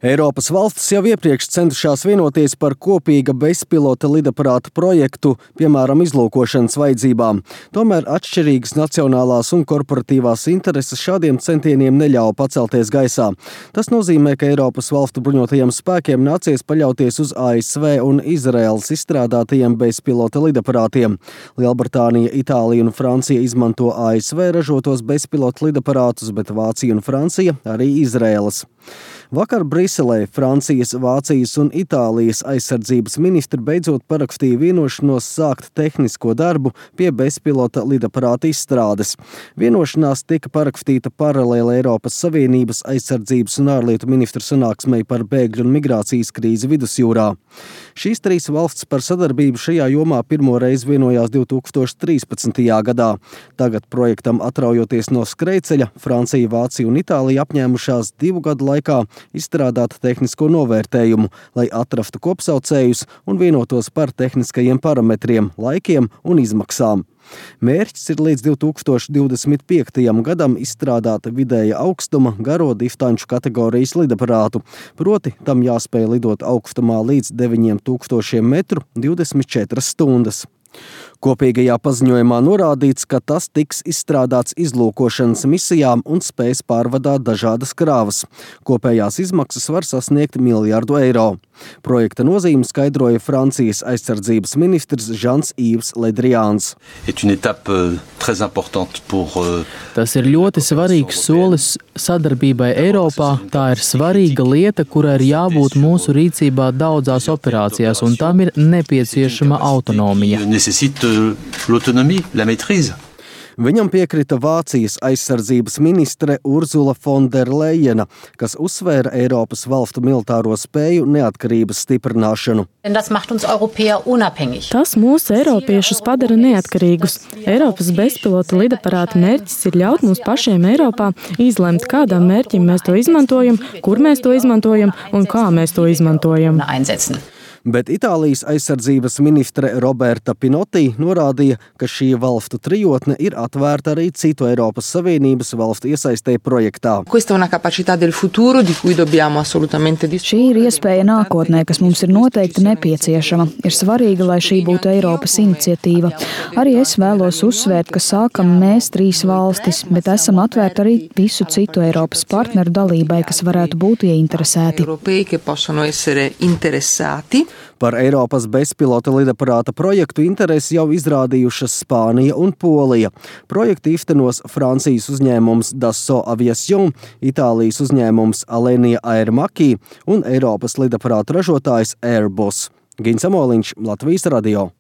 Eiropas valstis jau iepriekš centušās vienoties par kopīga bezpilota lidaparāta projektu, piemēram, izlūkošanas vajadzībām. Tomēr atšķirīgas nacionālās un korporatīvās intereses šādiem centieniem neļauj pacelties gaisā. Tas nozīmē, ka Eiropas valstu bruņotajiem spēkiem nācies paļauties uz ASV un Izraēlas izstrādātajiem bezpilota lidaparātiem. Lielbritānija, Itālija un Francija izmanto ASV ražotos bezpilota lidaparātus, bet Vācija un Francija arī Izraēlas. Vakar Briselē Francijas, Vācijas un Itālijas aizsardzības ministri beidzot parakstīja vienošanos sākt tehnisko darbu pie bezpilota lidaparāta izstrādes. Vienošanās tika parakstīta paralēli Eiropas Savienības aizsardzības un ārlietu ministru sanāksmei par bēgļu un migrācijas krīzi Vidusjūrā. Šīs trīs valstis par sadarbību šajā jomā pirmo reizi vienojās 2013. gadā. Tagad projektam atraujoties no skrejceļa, Francija, Vācija un Itālija apņēmušās 2 gadu laikā izstrādāt tehnisko novērtējumu, lai atrastu kopsaucējus un vienotos par tehniskajiem parametriem, laikiem un izmaksām. Mērķis ir līdz 2025. gadam izstrādāt vidēja augstuma garo distanču kategorijas lidaparātu, proti tam jāspēj lidot augstumā līdz 9000 metru 24 stundas. Kopīgajā paziņojumā norādīts, ka tas tiks izstrādāts izlūkošanas misijām un spēs pārvadāt dažādas krāvas. Kopējās izmaksas var sasniegt €1 miljardu. Projekta nozīmi skaidroja Francijas aizsardzības ministrs Jean-Yves Le Drians. Tas ir ļoti svarīgs solis sadarbībai Eiropā. Tā ir svarīga lieta, kurai ir jābūt mūsu rīcībā daudzās operācijās, un tam ir nepieciešama autonomija. Viņam piekrita Vācijas aizsardzības ministre Ursula von der Leyena, kas uzsvēra Eiropas valstu militāro spēju neatkarības stiprināšanu. Tas mūs, eiropiešus, padara neatkarīgus. Eiropas bezpilota lidaparāta mērķis ir ļaut mums pašiem Eiropā izlemt, kādam mērķim mēs to izmantojam, kur mēs to izmantojam un kā mēs to izmantojam. Bet Itālijas aizsardzības ministre Roberta Pinotti norādīja, ka šī valstu trijotne ir atvērta arī citu Eiropas Savienības valstu iesaistē projektā. Šī ir iespēja nākotnē, kas mums ir noteikti nepieciešama. Ir svarīgi, lai šī būtu Eiropas iniciatīva. Arī es vēlos uzsvērt, ka sākam mēs 3 valstis, bet esam atvērti arī visu citu Eiropas partneru dalībai, kas varētu būt ieinteresēti. Par Eiropas bezpilota lidaparāta projektu interesi jau izrādījušas Spānija un Polija. Projektu īstenos Francijas uzņēmums Dassault Aviation, Itālijas uzņēmums Alenia Air Macchi un Eiropas lidaparāta ražotājs Airbus. Gins Amoliņš, Latvijas radio.